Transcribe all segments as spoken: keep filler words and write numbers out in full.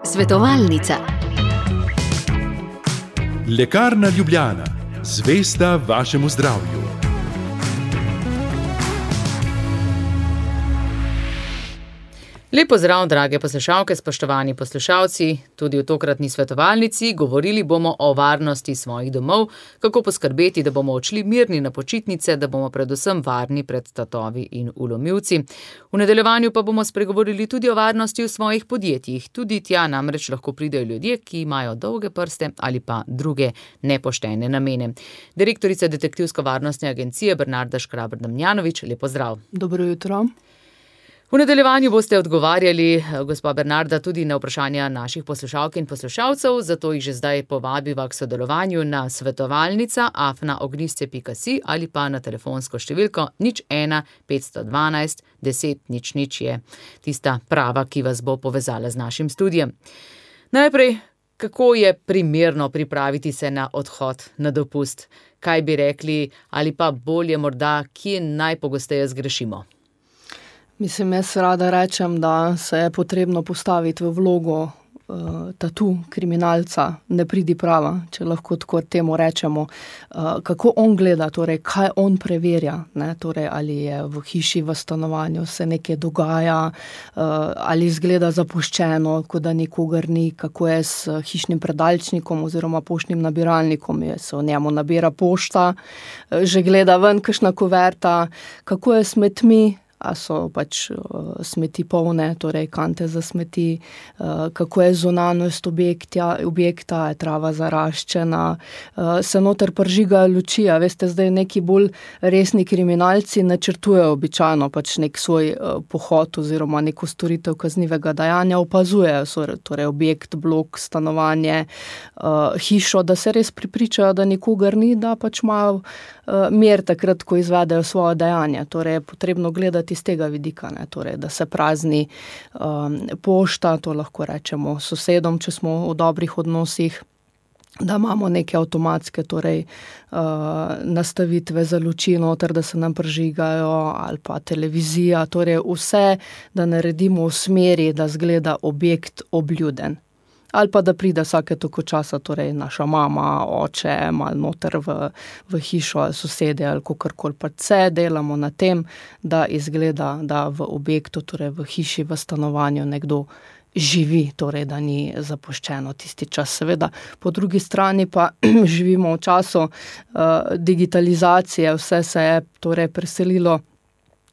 Svetovalnica. Lekarna Ljubljana, zvesta vašemu zdravju. Lep pozdrav, drage poslušalke, spoštovani poslušalci. Tudi v tokratni svetovalnici govorili bomo o varnosti svojih domov, kako poskrbeti, da bomo odšli mirni na počitnice, da bomo predvsem varni pred tatovi in vlomilci. V nadaljevanju pa bomo spregovorili tudi o varnosti v svojih podjetjih. Tudi tja namreč lahko pridejo ljudje, ki imajo dolge prste ali pa druge nepoštene namene. Direktorica Detektivsko-varnostne agencije Bernarda Škraber-Damjanovič, lep pozdrav. Dobro jutro. V nadaljevanju boste odgovarjali, gospa Bernarda, tudi na vprašanja naših poslušalk in poslušalcev, zato jih že zdaj povabiva k sodelovanju na svetovalnica afna ognjišče pika si ali pa na telefonsko številko nič ena petsto dvanajst deset nič nič je tista prava, ki vas bo povezala z našim studijem. Najprej, kako je primerno pripraviti se na odhod na dopust? Kaj bi rekli, ali pa bolje morda, kje najpogosteje zgrešimo? Mislim, jaz rada rečem, da se je potrebno postaviti v vlogo uh, tatu kriminalca, ne pridi prava, če lahko tako temu rečemo. Uh, kako on gleda, torej kaj on preverja, ne? Torej, ali je v hiši, v stanovanju se nekaj dogaja, uh, ali izgleda zapuščeno, kot da nikogar ni, kako je s hišnim predalčnikom oziroma poštnim nabiralnikom, je se v njemu nabira pošta, uh, že gleda ven kakšna kuverta, kako je s smetmi, a so pač uh, smeti polne, torej kante za smeti, uh, kako je zunanjost objekta, objekta, je trava zaraščena, uh, se noter pržigajo luči, a veste, zdaj neki bolj resni kriminalci načrtujejo običajno pač nek svoj uh, pohod oziroma neko storitev kaznivega dejanja, opazujejo torej objekt, blok, stanovanje, uh, hišo, da se res pripričajo, da nikogar ni, da pač imajo uh, mir takrat, ko izvedejo svoje dejanje. Torej je potrebno gledati iz tega vidika, ne, torej, da se prazni um, pošta, to lahko rečemo sosedom, če smo v dobrih odnosih, da imamo neke avtomatske torej, uh, nastavitve za luči noter, da se nam prižigajo, ali pa televizija, torej vse, da naredimo v smeri, da zgleda objekt obljuden. Ali pa da pride vsake toliko časa, torej naša mama, oče, malo noter v, v hišo, sosede ali kakorkoli, pa vse delamo na tem, da izgleda, da v objektu, torej v hiši, v stanovanju nekdo živi, torej da ni zapuščeno tisti čas. Seveda, po drugi strani pa živimo v času uh, digitalizacije, vse se je torej preselilo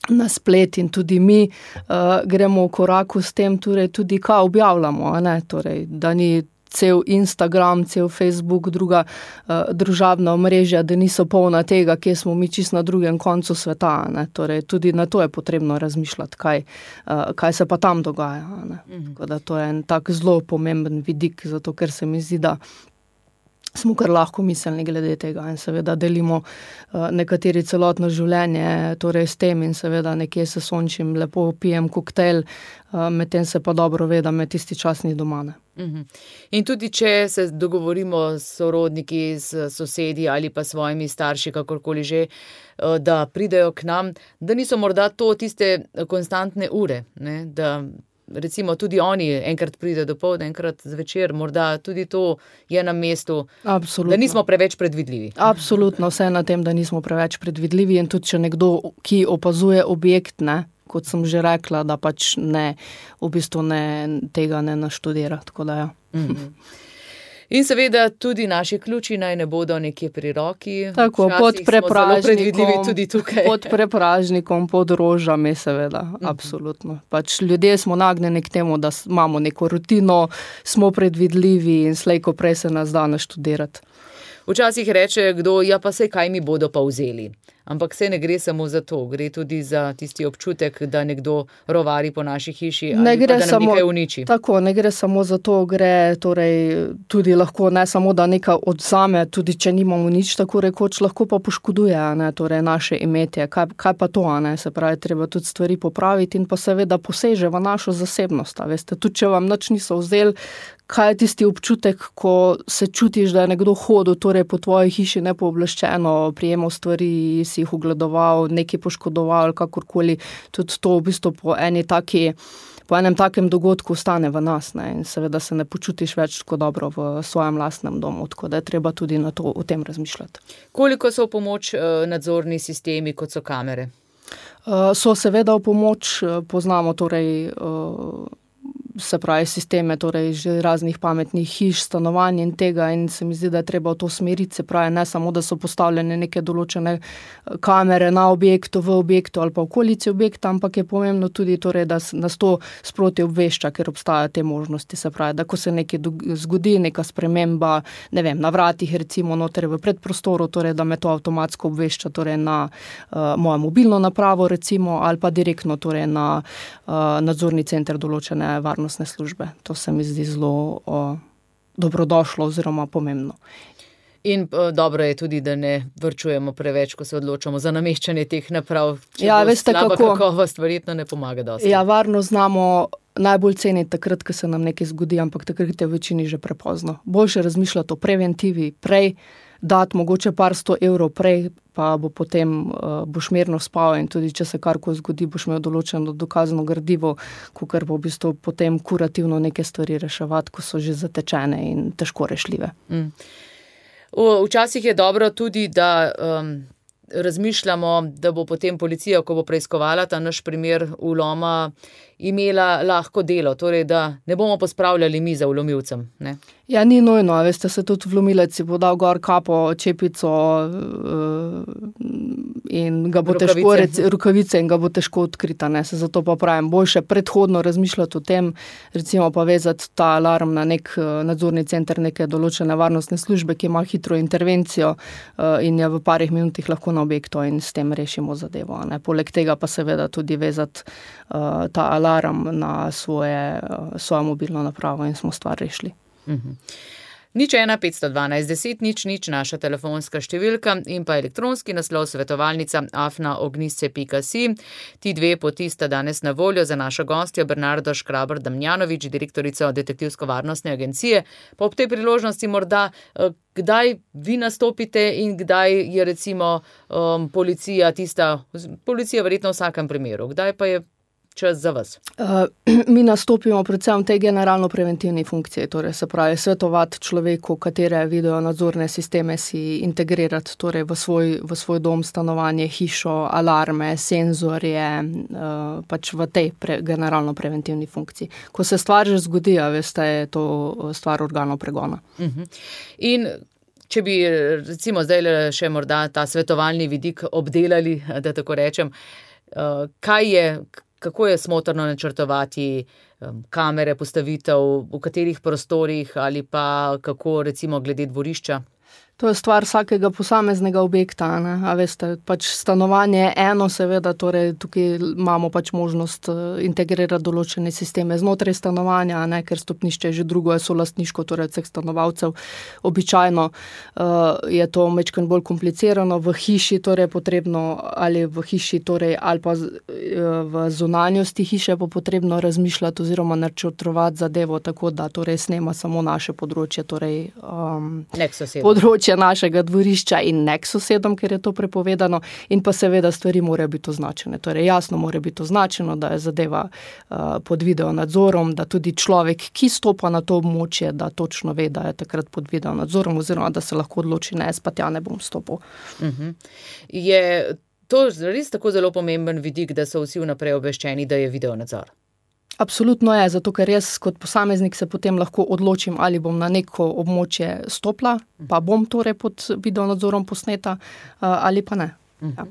na splet in tudi mi uh, gremo v koraku s tem, torej tudi kaj objavljamo, ne? Torej, da ni cel Instagram, cel Facebook, druga uh, družabna omrežja, da niso polna tega, kje smo mi čisto na drugem koncu sveta, ne? Torej, tudi na to je potrebno razmišljati, kaj, uh, kaj se pa tam dogaja, ne? Mhm. Tako da to je en tak zelo pomemben vidik, zato ker se mi zdi, da smo kar lahko miselni glede tega in seveda delimo uh, nekateri celotno življenje torej s tem in seveda nekje se sončim, lepo pijem koktejl, uh, medtem se pa dobro ve, da me tisti čas ni doma, ne. Mhm. In tudi če se dogovorimo s sorodniki, s sosedi ali pa svojimi starši, kakorkoli že, uh, da pridejo k nam, da niso morda to tiste konstantne ure, ne, da recimo tudi oni enkrat pride dopoldne, enkrat zvečer, morda tudi to je na mestu. Absolutno. Da nismo preveč predvidljivi. Absolutno, vse na tem, da nismo preveč predvidljivi in tudi če nekdo, ki opazuje objekt, ne, kot sem že rekla, da pač ne, v bistvu ne, tega ne naštudira, tako da ja. Mm-hmm. In seveda tudi naši ključi naj ne bodo nekje pri roki. Tako, pod prepražnikom, tudi tukaj. pod prepražnikom, pod rožami, seveda, mm-hmm. Absolutno. Pač ljudje smo nagnjeni k temu, da imamo neko rutino, smo predvidljivi in slej ko prej se nas da naštudirati. Včasih reče kdo, ja pa sej kaj mi bodo pa vzeli. Ampak se ne gre samo za to, gre tudi za tisti občutek, da nekdo rovari po naši hiši ali pa da nam samo, nekaj uniči. Tako, ne gre samo za to, gre torej tudi lahko ne samo, da nekaj odzame, tudi če nimamo nič tako rekoč, lahko pa poškoduje, ne, torej naše imetje. Kaj, kaj pa to, ne, se pravi, treba tudi stvari popraviti in pa seveda poseže v našo zasebnost, a veste, tudi če vam nič niso vzeli, kaj je tisti občutek, ko se čutiš, da je nekdo hodil torej po tvoji hiši nepooblaščeno, prijemal stvari, si jih ogledoval, nekaj poškodoval, kakorkoli, tudi to v bistvu po eni taki po enem takem dogodku ostane v nas, ne, in seveda se ne počutiš več tako dobro v svojem lastnem domu, tako da je treba tudi na to, o tem razmišljati. Koliko so v pomoč nadzorni sistemi, kot so kamere? So seveda v pomoč, poznamo torej se pravi sisteme, torej že raznih pametnih hiš, stanovanj in tega, in se mi zdi, da je treba v to smeriti, se pravi ne samo, da so postavljene neke določene kamere na objektu, v objektu ali pa v okolici objekta, ampak je pomembno tudi torej, da nas to sproti obvešča, ker obstajajo te možnosti, se pravi, da ko se nekaj zgodi, neka sprememba, ne vem, na vratih recimo noter v predprostoru, torej da me to avtomatsko obvešča torej na uh, mojo mobilno napravo recimo, ali pa direktno torej na uh, nadzorni center določene varnostne službe. To se mi zdi zelo o, dobrodošlo oziroma pomembno. In o, dobro je tudi, da ne vrčujemo preveč, ko se odločamo za nameščanje teh naprav. Če ja, bo veste, slaba kako? kakovost, verjetno ne pomaga dosti. Ja, varno znamo najbolj ceniti takrat, ko se nam nekaj zgodi, ampak takrat je v večini že prepozno. Boljše razmišljati o preventivi prej, dati mogoče par sto evrov prej, pa bo potem uh, boš mirno spal in tudi, če se karkoli zgodi, boš imel določeno dokazano gradivo, kakor bo v bistvu potem kurativno neke stvari reševati, ko so že zatečene in težko rešljive. Mm. Včasih je dobro tudi, da um, razmišljamo, da bo potem policija, ko bo preiskovala ta naš primer vloma, imela lahko delo, torej da ne bomo pospravljali mi za vlomilcem, ne? Ja, ni nujno, veste, se tudi vlomilec si bo dal gor kapo, čepico in ga bo Rukavice. težko, rec, rukavice in ga bo težko odkrita, ne, se zato pa pravim, boljše predhodno razmišljati o tem, recimo pa vezati ta alarm na nek nadzorni center neke določene varnostne službe, ki ima hitro intervencijo in je v parih minutih lahko na objektu in s tem rešimo zadevo, ne. Poleg tega pa seveda tudi vezati uh, ta alarm na svoje, uh, svojo mobilno napravo in smo stvar rešili. Uhum. Nič ena petsto dvanajst deset nič nič naša telefonska številka in pa elektronski naslov svetovalnica afna ognjisce pika si. Ti dve poti sta danes na voljo za našo gostjo Bernardo Škraber Damjanovič, direktorico Detektivsko-varnostne agencije. Pa ob tej priložnosti morda, kdaj vi nastopite in kdaj je recimo um, policija tista, policija verjetno v vsakem primeru, kdaj pa je čas za vas? Uh, mi nastopimo predvsem v tej generalno-preventivni funkciji, torej se pravi svetovati človeku, katere video nadzorne sisteme si integrirati torej v svoj, v svoj dom, stanovanje, hišo, alarme, senzorje, uh, pač v tej pre, generalno-preventivni funkciji. Ko se stvar že zgodi, a veste, je to stvar organov pregona. Uh-huh. In če bi recimo zdaj še morda ta svetovalni vidik obdelali, da tako rečem, uh, kaj je kako je smotrno načrtovati um, kamere, postavitev, v katerih prostorih ali pa kako recimo glede dvorišča? To je stvar vsakega posameznega objekta, ne? A veste, pač stanovanje je eno, seveda, torej tukaj imamo pač možnost integrirati določene sisteme znotraj stanovanja, ne? Ker stopnišče je že drugo, je solastniško, torej vseh stanovalcev. Običajno uh, je to majčkeno bolj komplicirano, v hiši torej potrebno, ali v hiši torej, ali pa z, uh, v zunanjosti hiše bo potrebno razmišljati oziroma načrtovati zadevo tako, da torej snema samo naše področje, torej um, področje našega dvorišča in nek sosedom, ker je to prepovedano, in pa seveda stvari morajo biti označene. Torej jasno mora biti označeno, da je zadeva uh, pod video nadzorom, da tudi človek, ki stopa na to območje, da točno ve, da je takrat pod video nadzorom oziroma da se lahko odloči, ne, spet ja ne bom stopil. Uh-huh. Je to res tako zelo pomemben vidik, da so vsi vnaprej obveščeni, da je video nadzor? Absolutno je, zato ker jaz kot posameznik se potem lahko odločim, ali bom na neko območje stopila, pa bom torej pod video nadzorom posneta, ali pa ne. Ja.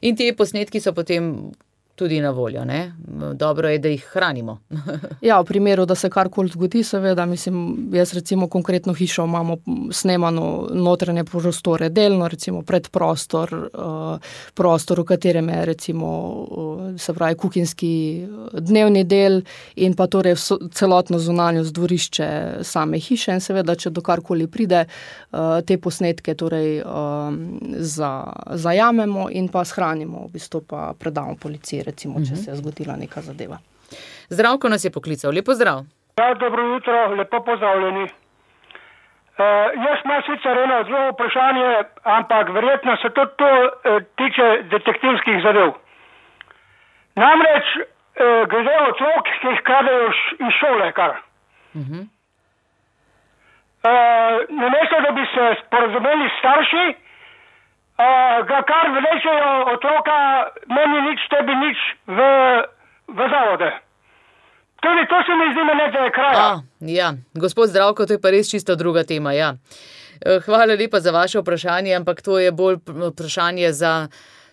In ti posnetki so potem tudi na voljo, ne? Dobro je, da jih hranimo. Ja, v primeru, da se karkoli zgodi, seveda, mislim, jaz recimo konkretno hišo imamo snemano notranje prostore delno, recimo predprostor, uh, prostor, v katerem je recimo, uh, se pravi, kuhinjski dnevni del in pa torej so, celotno zunanjost dvorišče same hiše in seveda, če do karkoli pride, uh, te posnetke torej uh, za, zajamemo in pa shranimo, v bistvu pa predamo policiji, recimo, če se je zgodila neka zadeva. Zdravko nas je poklical. Lepo zdrav. Ja, dobro jutro, lepo pozdravljeni. E, jaz imam sicer eno zelo vprašanje, ampak verjetno se tudi to e, tiče detektivskih zadev. Namreč uh, glede otrok, ki jih kradejo iz šole, kar. Uh-huh. Uh, namesto, da bi se sporazumeli starši, uh, ga kar vlečejo otroka, meni nič, tebi nič v, v zavode. Tudi to se mi zdi nekaj kraja. A, ja, gospod Zdravko, to je pa res čisto druga tema, ja. Hvala lepa za vaše vprašanje, ampak to je bolj vprašanje za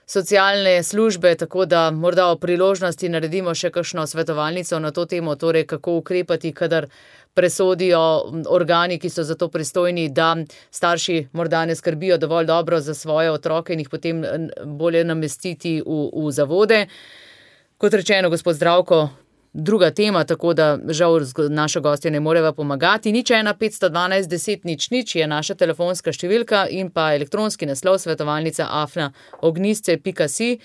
socialne službe, tako da morda o priložnosti naredimo še kakšno svetovalnico na to temo, torej kako ukrepati, kadar presodijo organi, ki so za to pristojni, da starši morda ne skrbijo dovolj dobro za svoje otroke in jih potem bolje namestiti v, v zavode. Kot rečeno, gospod Zdravko, druga tema, tako da žal naša gostja ne moreva pomagati. Nič ena petsto dvanajst deset nič nič je naša telefonska številka in pa elektronski naslov svetovalnica afna ognisce pika si.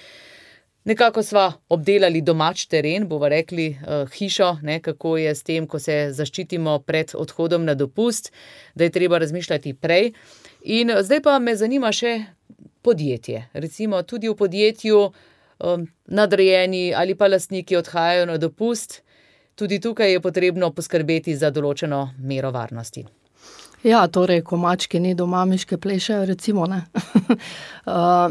Nekako sva obdelali domač teren, bova rekli uh, hišo, ne, kako je s tem, ko se zaščitimo pred odhodom na dopust, da je treba razmišljati prej. In zdaj pa me zanima še podjetje. Recimo tudi v podjetju nadrejeni ali pa lastniki odhajajo na dopust, tudi tukaj je potrebno poskrbeti za določeno mero varnosti. Ja, torej, ko mačke ni doma, miške plešajo, recimo, ne. uh,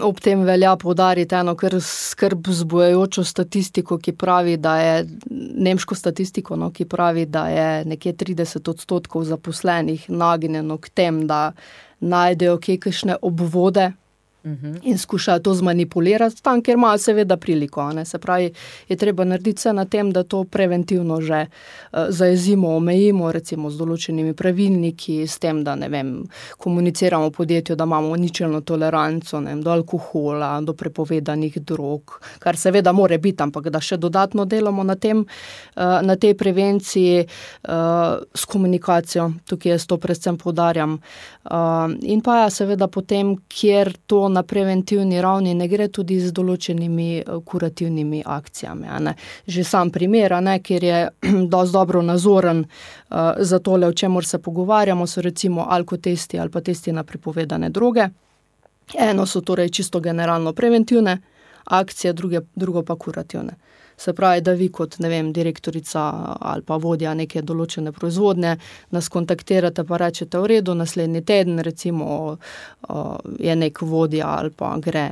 ob tem velja poudariti eno kar skrb vzbujajočo statistiko, ki pravi, da je, nemško statistiko, no, ki pravi, da je nekje trideset odstotkov zaposlenih nagnjeno k tem, da najdejo kje kakšne obvode, in skušajo to zmanipulirati tam, kjer imajo seveda priliko. Ne? Se pravi, je treba narediti vse na tem, da to preventivno že uh, zajezimo, omejimo, recimo z določenimi pravilniki, s tem, da ne vem, komuniciramo v podjetju, da imamo ničelno toleranco, ne vem, do alkohola, do prepovedanih drog, kar seveda more biti, ampak da še dodatno delamo na tem, uh, na tej prevenciji uh, s komunikacijo, tukaj jaz to predvsem poudarjam. Uh, in pa ja, seveda potem, kjer to na preventivni ravni ne gre, tudi z določenimi kurativnimi akcijami. Ne. Že sam primer, ne, kjer je dosti dobro nazoren uh, za tole, o čemur se pogovarjamo, so recimo alkotesti ali pa testi na prepovedane droge. Eno so torej čisto generalno preventivne akcije, druge, drugo pa kurativne. Se pravi, da vi kot, ne vem, direktorica ali pa vodja neke določene proizvodnje nas kontaktirate pa rečete, v redu, naslednji teden recimo je nek vodja ali pa gre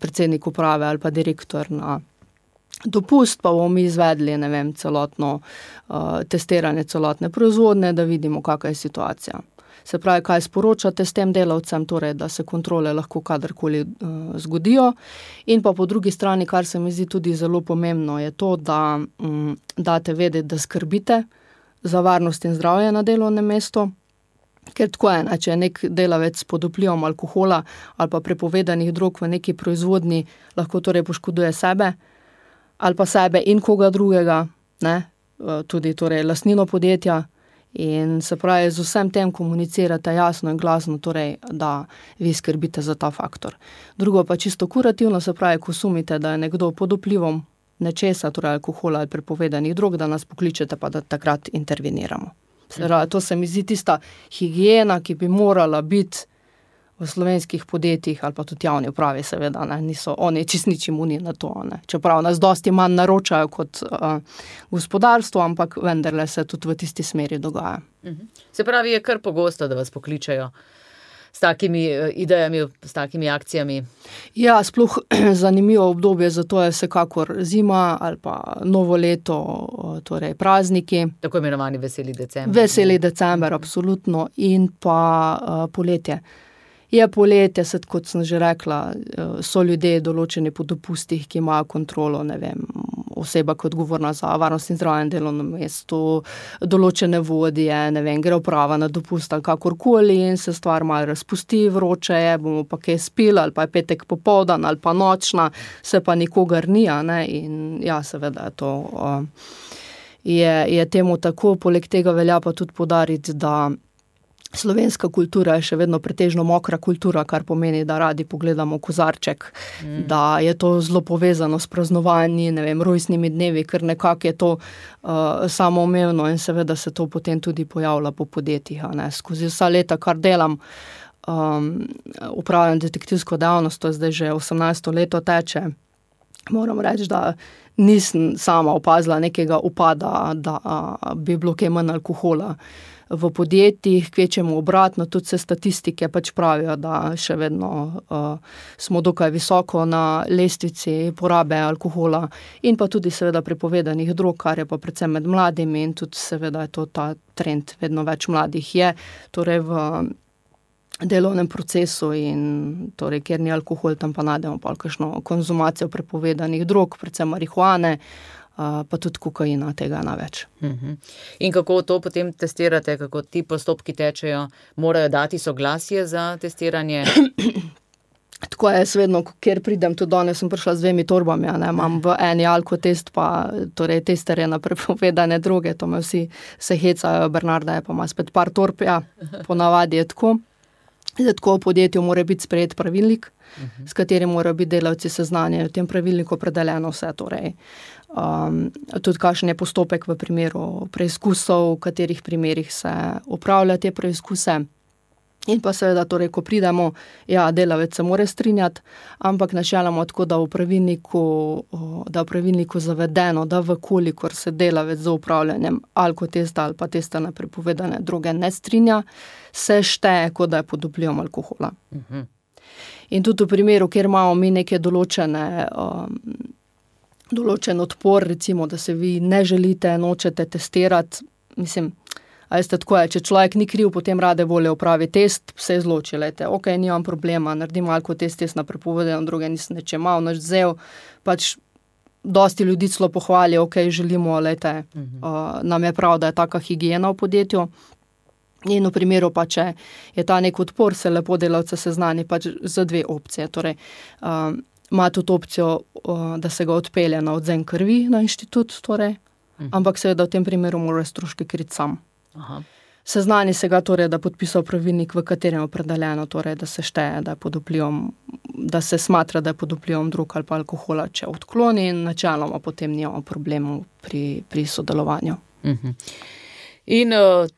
predsednik uprave ali pa direktor na dopust, pa bomo mi izvedli, ne vem, celotno testiranje celotne proizvodnje, da vidimo, kakva je situacija. Se pravi, kaj sporočate s tem delavcem, torej, da se kontrole lahko kadarkoli uh, zgodijo. In pa po drugi strani, kar se mi zdi tudi zelo pomembno, je to, da um, date vedeti, da skrbite za varnost in zdravje na delovnem mestu. Ker tako je, ne, če je nek delavec pod vplivom alkohola ali pa prepovedanih drog v neki proizvodnji, lahko torej poškoduje sebe ali pa sebe in koga drugega, ne, uh, tudi torej lastnino podjetja. In se pravi, z vsem tem komunicirate jasno in glasno, torej, da vi skrbite za ta faktor. Drugo pa čisto kurativno, se pravi, ko sumite, da je nekdo pod vplivom nečesa, torej alkohola ali prepovedanih drog, da nas pokličete, pa da takrat interveniramo. Se pravi, to se mi zdi tista higiena, ki bi morala biti v slovenskih podjetjih ali pa tudi javni upravi, seveda, ne, niso oni čist nič imuni na to, ne. Čeprav nas dosti manj naročajo kot uh, gospodarstvo, ampak vendarle se tudi v tisti smeri dogaja. Se pravi, je kar pogosto, da vas pokličajo s takimi idejami, s takimi akcijami? Ja, sploh zanimivo obdobje, zato je vsekakor zima ali pa novo leto, torej prazniki. Tako imenovani veseli december. Veseli december, absolutno, in pa uh, poletje. Je poletje, set, kot sem že rekla, so ljudje določeni po dopustih, ki imajo kontrolo, ne vem, oseba kot odgovorna za varnost in zdravje na delovnem mestu, določene vodje, ne vem, gre uprava na dopust ali kakorkoli in se stvar malo razpusti, vroče je, bomo pa kaj spili ali pa je petek popoldan ali pa nočna, se pa nikogar ni, ne, in ja, seveda je to, uh, je, je temu tako, poleg tega velja pa tudi poudariti, da slovenska kultura je še vedno pretežno mokra kultura, kar pomeni, da radi pogledamo kozarček, mm. da je to zelo povezano s praznovanji, ne vem, rojstnimi dnevi, ker nekako je to uh, samoumevno in seveda se to potem tudi pojavlja po podjetjih, ne. Skozi vsa leta, kar delam, um, upravljam detektivsko dejavnost, to je zdaj že osemnajsto leto teče, moram reči, da nisem sama opazila nekega upada, da bi bilo kaj manj alkohola v podjetjih, kvečemo obratno, tudi se statistike pač pravijo, da še vedno uh, smo dokaj visoko na lestvici porabe alkohola in pa tudi seveda prepovedanih drog, kar je pa predvsem med mladimi in tudi seveda je to ta trend, vedno več mladih je, torej v delovnem procesu in torej, kjer ni alkohol, tam pa najdemo pa kakšno konzumacijo prepovedanih drog, predvsem marihuane, pa tudi kokaina, tega na več. Uh-huh. In kako to potem testirate, kako ti postopki tečejo? Morajo dati soglasje za testiranje? Tako je, vedno, kjer pridem, tudi danes sem prišla z dvemi torbami, ne, imam v eni alkotest, pa torej testerje na prepovedane droge, to me vsi se hecajo, Bernarda je pa ima spet par torb, ja, ponavadi je tako. Zdaj, tako v podjetju mora biti sprejet pravilnik, uh-huh. s katerim morajo biti delavci seznanjeni, v tem pravilniku opredeljeno vse, torej Um, tudi kakšen je postopek v primeru preizkusov, v katerih primerih se upravlja te preizkuse. In pa seveda, torej, ko pridemo, ja, delavec se mora strinjati, ampak načeloma tako, da v pravilniku, da v pravilniku zavedeno, da vkolikor se delavec za upravljanjem alkotesta ali pa testa na prepovedane droge ne strinja, se šteje, kot da je pod vplivom alkohola. Uh-huh. In tudi v primeru, kjer imamo mi neke določene um, določen odpor, recimo, da se vi ne želite, nočete testirati, mislim, a jeste tako je, če človek ni kriv, potem rade volje opravi test, se izloči, lejte, ok, nimam problema, naredim alkotest, test na prepovedane droge, nisem neče mal, nič vzel, pač dosti ljudi celo pohvali, ok, želimo, lejte, uh-huh. uh, nam je prav, da je taka higiena v podjetju. In v primeru pa, če je ta nek odpor, se lepo delavce seznani pač za dve opcije, torej, um, ima tudi opcijo, da se ga odpelje na odzem krvi na inštitut, torej, mhm. ampak seveda v tem primeru mora stroške kriti sam. Aha. Seznani se ga torej, da podpisal pravilnik, v katerem je opredeljeno, torej, da se šteje, da je pod vplivom, da se smatra, da je pod vplivom drog ali pa alkohola, če odkloni in načeloma potem nimamo problemov pri, pri sodelovanju. Mhm. In uh,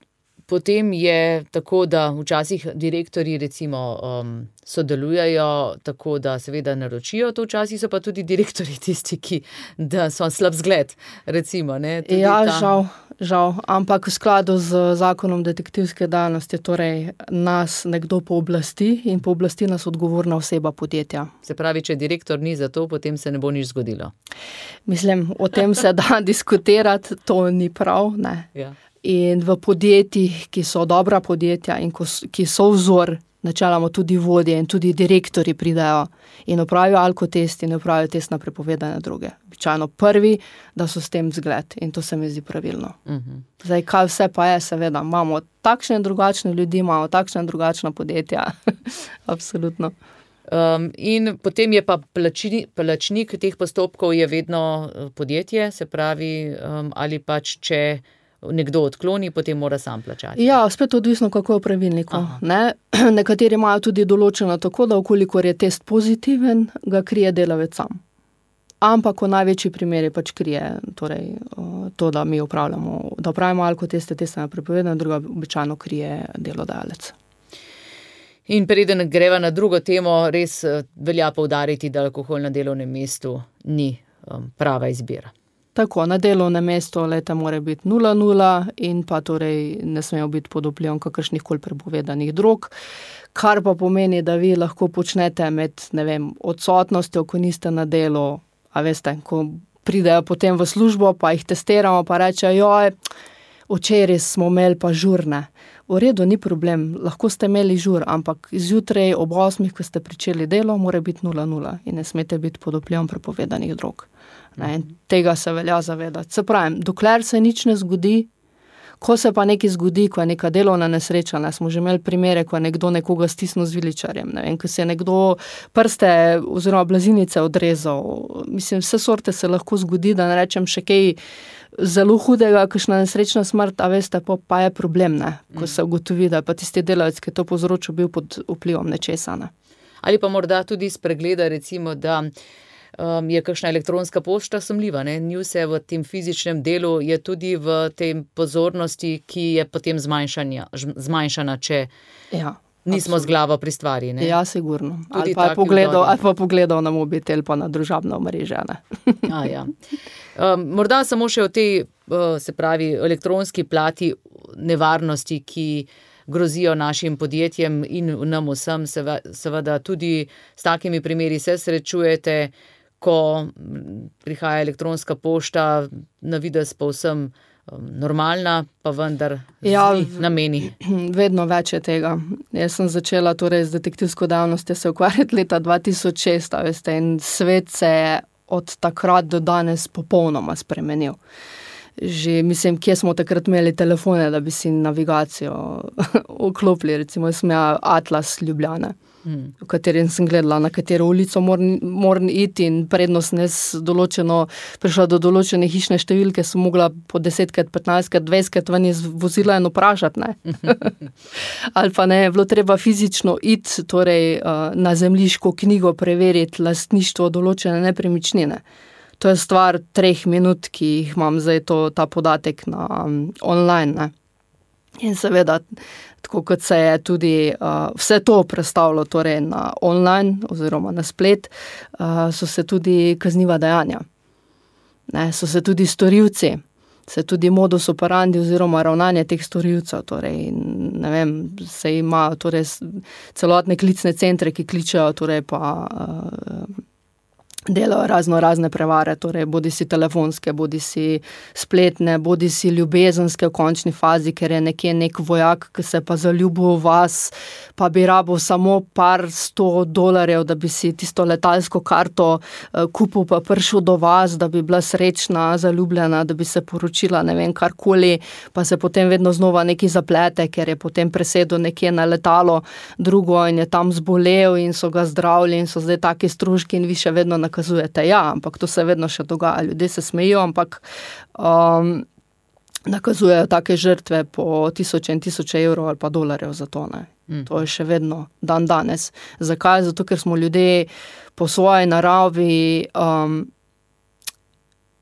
potem je tako, da včasih direktorji recimo um, sodelujejo tako, da seveda naročijo to, včasih so pa tudi direktorji tisti, ki da so slab zgled, recimo. Ne? Tudi ja, ta... žal, žal, ampak v skladu z zakonom detektivske dejavnosti torej nas nekdo pooblasti in pooblasti nas odgovorna oseba podjetja. Se pravi, če direktor ni za to, potem se ne bo nič zgodilo. Mislim, o tem se da diskutirati, to ni prav, ne. Ja. In v podjetjih, ki so dobra podjetja in ko, ki so vzor, načeloma tudi vodje in tudi direktori pridajo in opravijo alkotest in opravijo test na prepovedane droge. Običajno prvi, da so s tem zgled in to se mi zdi pravilno. Uh-huh. Zdaj, kaj vse pa je, seveda, imamo takšne in drugačne ljudi, imamo takšne in drugačna podjetja. Absolutno. Um, in potem je pa plačni, plačnik teh postopkov je vedno podjetje, se pravi, um, ali pač če nekdo odkloni, potem mora sam plačati. Ja, spet odvisno, kako je v pravilniku. Ne? Nekateri imajo tudi določeno tako, da okolikor je test pozitiven, ga krije delavec sam. Ampak v največji primeri pač krije torej, to, da mi upravljamo, da upravimo alkoteste, teste na prepovedane, druga običajno krije delodajalec. In preden greva na drugo temo, res velja poudariti, da alkohol na delovnem mestu ni um, prava izbira. Tako, na delovnem mestu leta mora biti nula nula in pa torej ne smejo biti pod vplivom kakršnih koli prepovedanih drog, kar pa pomeni, da vi lahko počnete med, ne vem, odsotnostjo, ko niste na delu, a veste, ko pridejo potem v službo, pa jih testiramo, pa rečejo, joj, včeraj smo imeli pa žurne. V redu, ni problem, lahko ste imeli žur, ampak zjutraj ob osmih, ko ste pričeli delo, mora biti nula nula in ne smete biti pod vplivom prepovedanih drog. Ne, tega se velja zavedati. Se pravim, dokler se nič ne zgodi, ko se pa nekaj zgodi, ko je neka delovna nesreča, ne, smo že imeli primere, ko je nekdo nekoga stisnil z viličarjem, ne vem, ko se je nekdo prste oziroma blazinice odrezal. Mislim, vse sorte se lahko zgodi, da ne rečem še kaj zelo hudega, kakšna nesrečna smrt, a veste, pa, pa je problem, ne, ko se ugotovi, da pa tisti delavec, ki je to povzročil, bil pod vplivom nečesa. Ne. Ali pa morda tudi spregleda, recimo, da Um, je kakšna elektronska pošta sumljiva, ne? Ni vse v tem fizičnem delu, je tudi v tem pozornosti, ki je potem zmanjšana, če... Ja, Nismo z glavo pri stvari, ne? Ja, sigurno. Ali pa, pogledal, ali pa pogledal na mobitel, pa na družabno omrežje, ne. A, ja. um, morda samo še o tej, uh, se pravi, elektronski plati nevarnosti, ki grozijo našim podjetjem in nam vsem, seveda tudi s takimi primeri se srečujete, ko prihaja elektronska pošta, na videz povsem normalna, pa vendar ja, nameni. Vedno več je tega. Jaz sem začela torej z detektivsko dejavnostjo se ukvarjati leta dva tisoč šest, veste, in svet se je od takrat do danes popolnoma spremenil. Že, mislim, kje smo takrat imeli telefone, da bi si navigacijo vklopili, recimo jaz sem imela Atlas Ljubljane, hmm. v katerem sem gledala, na katero ulico moram, moram iti in prednost nes določeno, prišla do določene hišne številke, sem mogla po desetkrat, petnajstkrat, dvajsetkrat ven iz vozila in vprašati, ne. Ali pa ne, je bilo treba fizično iti, torej na zemljiško knjigo preveriti lastništvo določene nepremičnine. To je stvar treh minut, ki jih imam zdaj to, ta podatek na um, online, ne. In seveda, tako kot se je tudi uh, vse to prestavilo torej na online oziroma na splet, uh, so se tudi kazniva dejanja. Ne, so se tudi storilci, se tudi modus operandi oziroma ravnanje teh storilcev, torej, ne vem, se ima torej celotne klicne centre, ki kličejo, torej pa uh, delajo razno razne prevare, torej bodi si telefonske, bodi si spletne, bodi si ljubezenske v končni fazi, ker je nekje nek vojak, ki se pa zaljubil v vas, pa bi rabo samo par sto dolarjev, da bi si tisto letalsko karto uh, kupil, pa prišel do vas, da bi bila srečna, zaljubljena, da bi se poročila, ne vem, karkoli, pa se potem vedno znova neki zaplete, ker je potem presedel nekje na letalo drugo in je tam zbolel in so ga zdravili in so zdaj taki stroški in vi še vedno nakazujete. Ja, ampak to se vedno še dogaja. Ljudje se smejijo, ampak um, nakazujejo take žrtve po tisoče in tisoče evrov ali pa dolarjev za to, ne. Mm. To je še vedno dan danes. Zakaj? Zato, ker smo ljudje po svoji naravi um,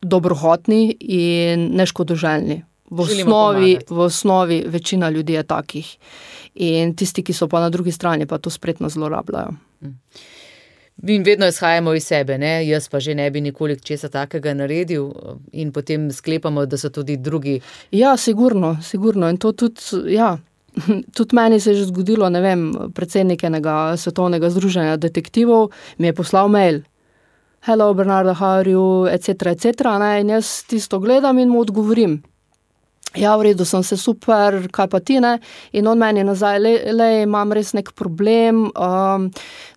dobrohotni in neškodoželjni. V osnovi, v osnovi večina ljudi je takih. In tisti, ki so pa na drugi strani, pa to spretno zlorabljajo. Mm. In vedno izhajamo iz sebe, ne? Jaz pa že ne bi nikoli česa takega naredil in potem sklepamo, da so tudi drugi. Ja, sigurno, sigurno. In to tudi, ja, tudi meni se je že zgodilo, ne vem, predsednik enega svetovnega združenja detektivov mi je poslal mail. Hello, Bernarda, how are you, et cetera, et cetera, ne? In jaz tisto gledam in mu odgovorim. Ja, v redu, sem se super, kaj pa ti, ne? In on meni nazaj, le, le imam res nek problem, um,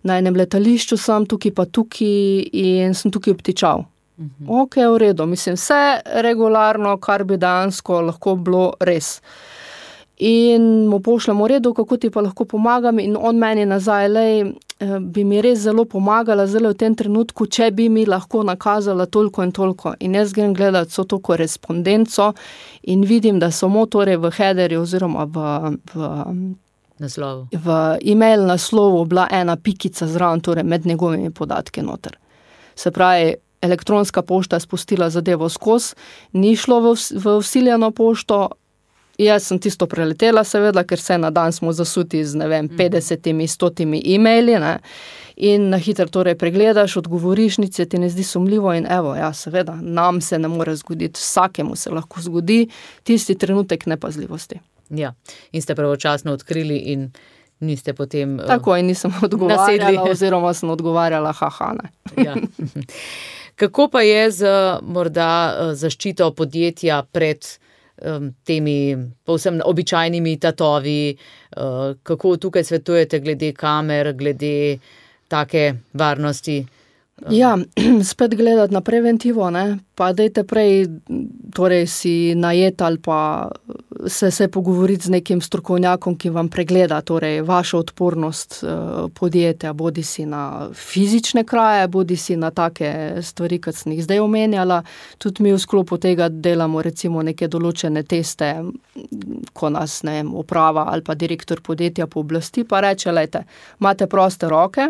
na enem letališču sem, tukaj pa tukaj in sem tukaj obtičal. Mhm. Ok, v redu, mislim, vse regularno, kar bi dejansko lahko bilo res. In mu pošljem v redu, kako ti pa lahko pomagam in on meni nazaj, lej, bi mi res zelo pomagala zelo v tem trenutku, če bi mi lahko nakazala toliko in toliko. In jaz grem gledati so to korespondenco in vidim, da samo torej v headerju oziroma v, v, naslovu. v e-mail naslovu bila ena pikica zraven, torej med njegovimi podatki noter. Se pravi, elektronska pošta je spustila zadevo skozi, ni šlo v, v vsiljeno pošto. Jaz sem tisto preletela, seveda, ker se na dan smo zasuti z, ne vem, petdesetimi, stotimi e-maili, ne, in na hitro torej pregledaš, odgovoriš, nič se ti ne zdi sumljivo in evo, ja, seveda, nam se ne more zgoditi, vsakemu se lahko zgodi tisti trenutek nepazljivosti. Ja, in ste pravočasno odkrili in niste potem Tako, in nisem odgovarjala, nasedli. oziroma sem odgovarjala, haha, ne. Ja. Kako pa je z morda zaščito podjetja pred temi povsem običajnimi tatovi, kako tukaj svetujete glede kamer, glede take varnosti? Ja, spet gledati na preventivo, ne, pa dajte prej, torej si najet ali pa se, se pogovoriti z nekim strokovnjakom, ki vam pregleda, torej vašo odpornost eh, podjetja, bodi si na fizične kraje, bodi si na take stvari, kot sem jih zdaj omenjala. Tudi mi v sklopu tega delamo recimo neke določene teste, ko nas, ne vem, uprava ali pa direktor podjetja pooblasti, pa reče, lejte, imate proste roke,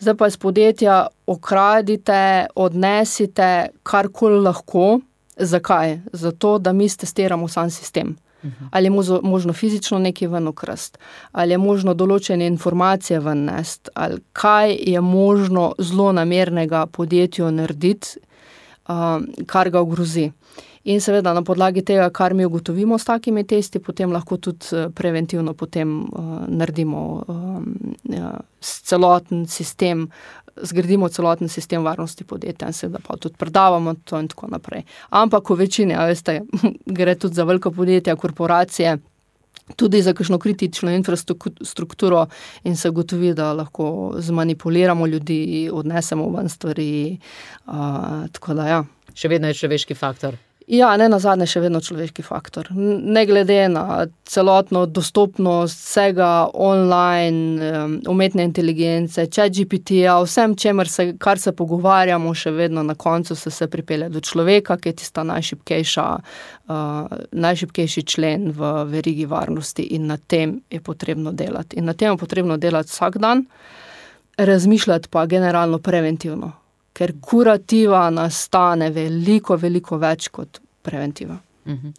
zdaj pa iz podjetja okradite, odnesite karkoli lahko. Zakaj? Zato, da mi testiramo sam sistem. Uh-huh. Ali je možno, možno fizično nekaj ven ukrast, ali je možno določene informacije ven nest, ali kaj je možno zlonamernega podjetju narediti, uh, kar ga ogrozi. In seveda na podlagi tega, kar mi ugotovimo s takimi testi, potem lahko tudi preventivno potem uh, naredimo um, ja, celoten sistem, zgradimo celoten sistem varnosti podjetja in seveda pa tudi predavamo to in tako naprej. Ampak v večini, a veste, gre tudi za velika podjetja, korporacije, tudi za kakšno kritično infrastrukturo in se gotovi, da lahko zmanipuliramo ljudi, odnesemo ven stvari, uh, tako da ja. Še vedno je človeški faktor. Ja, ne nazadnje še vedno človeški faktor. Ne glede na celotno dostopnost vsega online, umetne inteligence, chat G P T-ja, vsem čemer se, kar se pogovarjamo, še vedno na koncu se se pripelje do človeka, ki je tista najšibkejša, uh, najšibkejši člen v verigi varnosti in na tem je potrebno delati. In na tem je potrebno delati vsak dan, razmišljati pa generalno preventivno. Ker kurativa nastane veliko, veliko več kot preventiva. Mhm.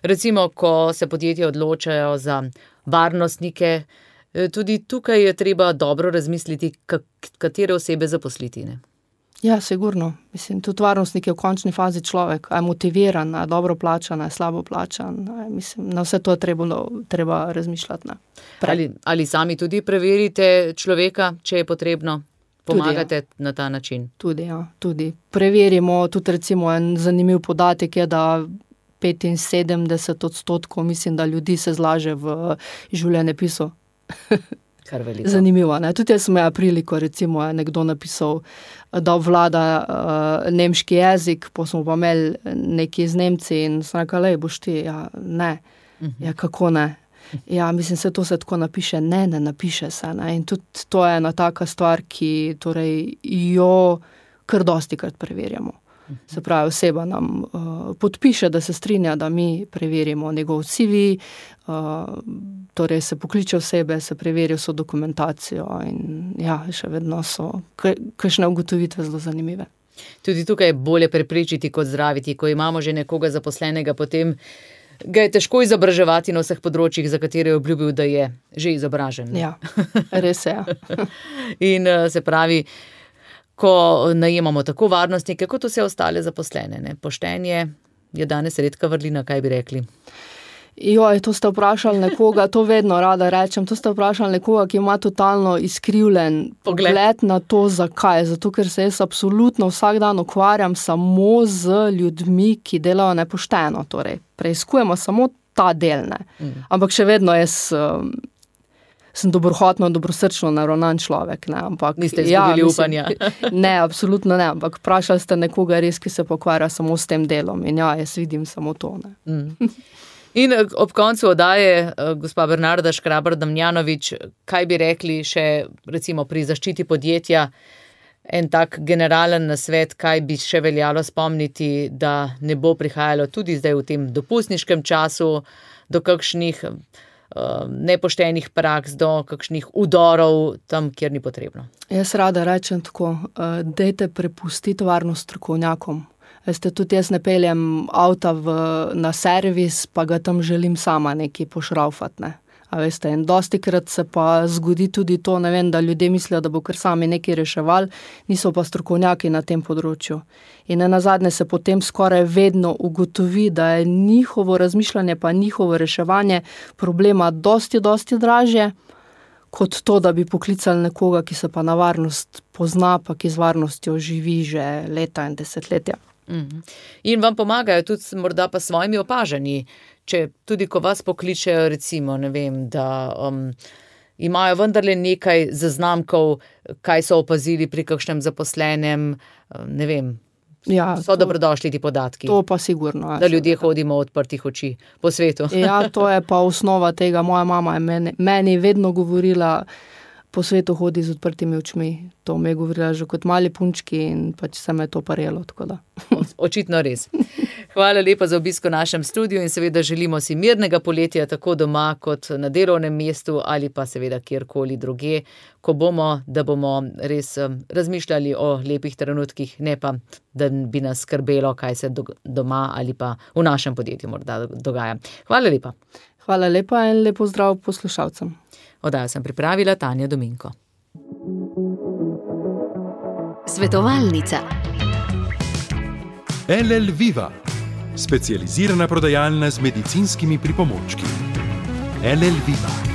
Recimo, ko se podjetja odločajo za varnostnike, tudi tukaj je treba dobro razmisliti, katere osebe zaposliti, ne? Ja, sigurno. Mislim, tudi varnostnik je v končni fazi človek, a je motiviran, a je dobro plačan, a je slabo plačan. A je, mislim, na vse to je treba, treba razmišljati. Ne? Ali, ali sami tudi preverite človeka, če je potrebno? Pomagate tudi, ja. Na ta način? Tudi, ja. Tudi. Preverimo, tudi recimo en zanimiv podatek je, da petinsedemdeset odstotkov, mislim, da ljudi se zlaže v življenjepisu. Kar veliko. Zanimivo, ne? Tudi jaz sem imela priliko, recimo, je nekdo napisal, da obvlada uh, nemški jezik, pa smo pa imeli neki z Nemci in sem rekla, lej, boš ti, ja, ne. Uh-huh. Ja, kako ne? Ja, mislim, se to se tako napiše, ne, ne napiše se, ne, in tudi to je ena taka stvar, ki torej jo kar dostikrat preverjamo. Se pravi, oseba nam uh, podpiše, da se strinja, da mi preverimo njegov C V, uh, torej se pokliče osebe, se preveri vso dokumentacijo in ja, še vedno so kakšne ugotovitve zelo zanimive. Tudi tukaj je bolje preprečiti kot zdraviti, ko imamo že nekoga zaposlenega, potem ga je težko izobraževati na vseh področjih, za katere je obljubil, da je že izobražen. Ja, res je. In se pravi, ko najemamo tako varnostnike, kot vse ostale zaposlene, ne? Poštenje je danes redka vrlina, kaj bi rekli? Joj, to ste vprašali nekoga, to vedno rada rečem, to ste vprašali nekoga, ki ima totalno izkrivljen pogled, pogled na to, zakaj. Zato, ker se jaz absolutno vsak dan ukvarjam samo z ljudmi, ki delajo nepošteno. Torej, preizkujemo samo ta del, ne. Mm. Ampak še vedno jaz um, sem dobrohotno, dobrosrčno naravnan človek, ne. Ampak, niste izgubili ja, upanja? Ne, absolutno ne. Ampak vprašali ste nekoga res, ki se pokvarja samo s tem delom. In ja, jaz vidim samo to, ne. Mm. In ob koncu oddaje, gospa Bernarda Škrabar-Damjanovič, kaj bi rekli še recimo pri zaščiti podjetja, en tak generalen nasvet, kaj bi še veljalo spomniti, da ne bo prihajalo tudi zdaj v tem dopustniškem času do kakšnih uh, nepoštenih praks, do kakšnih udorov tam, kjer ni potrebno. Jaz rada rečem tako, uh, dajte prepustiti varnost strokovnjakom. Veste, tudi jaz ne peljem avta v, na servis, pa ga tam želim sama nekaj pošraufati, ne. A veste, in dostikrat se pa zgodi tudi to, ne vem, da ljudje mislijo, da bo kar sami nekaj reševali, niso pa strokovnjaki na tem področju. In nenazadnje se potem skoraj vedno ugotovi, da je njihovo razmišljanje pa njihovo reševanje problema dosti, dosti dražje, kot to, da bi poklicali nekoga, ki se pa na varnost pozna, pa ki z varnostjo živi že leta in desetletja. In vam pomagajo tudi morda pa svojimi opažanji, če tudi ko vas pokličejo recimo, ne vem, da um, imajo vendarle nekaj zaznamkov, kaj so opazili pri kakšnem zaposlenem, ne vem, ja, so to, dobrodošli ti podatki. To pa sigurno. Da ljudje hodimo odprtih oči po svetu. Ja, to je pa osnova tega. Moja mama je meni, meni vedno govorila, po svetu hodi z odprtimi očmi. To mi je govorila že kot mali punčki in pač se me to parjelo, tako da. Očitno res. Hvala lepa za obisk v našem studiu in seveda želimo si mirnega poletja tako doma kot na delovnem mestu ali pa seveda kjerkoli druge, ko bomo, da bomo res razmišljali o lepih trenutkih, ne pa, da bi nas skrbelo, kaj se doma ali pa v našem podjetju morda dogaja. Hvala lepa. Hvala lepa in lepo zdrav poslušalcem. Oddajo sem pripravila Tanja Dominko. Svetovalnica. L L Viva, specializirana prodajalna z medicinskimi pripomočki. L L Viva.